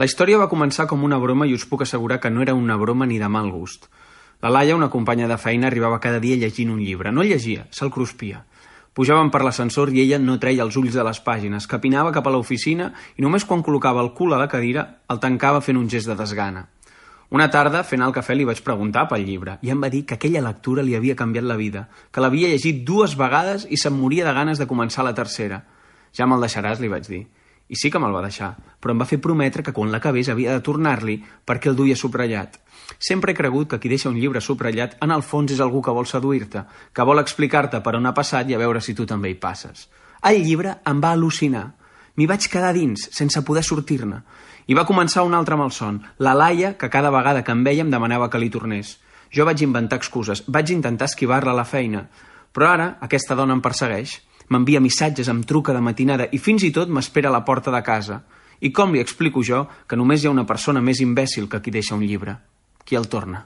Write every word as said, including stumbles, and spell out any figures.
La història va començar com una broma i us puc assegurar que no era una broma ni de mal gust. La Laia, una companya de feina, arribava cada dia llegint un llibre. No el llegia, se'l cruspia. Pujàvem per l'ascensor i ella no treia els ulls de les pàgines, capinava cap a l'oficina i només quan col·locava el cul a la cadira el tancava fent un gest de desgana. Una tarda, fent el cafè, li vaig preguntar pel llibre i em va dir que aquella lectura li havia canviat la vida, que l'havia llegit dues vegades i se'm moria de ganes de començar la tercera. Ja me'l deixaràs, li vaig dir. I sí que me'l va deixar, però em va fer prometre que quan l'acabés havia de tornar-li perquè el duia subratllat. Sempre he cregut que qui deixa un llibre subratllat en el fons és algú que vol seduir-te, que vol explicar-te per on ha passat i a veure si tu també hi passes. El llibre em va al·lucinar. M'hi vaig quedar dins, sense poder sortir-ne. I va començar un altre malson, la Laia, que cada vegada que em veia em demanava que li tornés. Jo vaig inventar excuses, vaig intentar esquivar-la a la feina. Però ara aquesta dona em persegueix. M'envia missatges, em truca de matinada i fins i tot m'espera a la porta de casa. I com li explico jo que només hi ha una persona més imbècil que qui deixa un llibre? Qui el torna?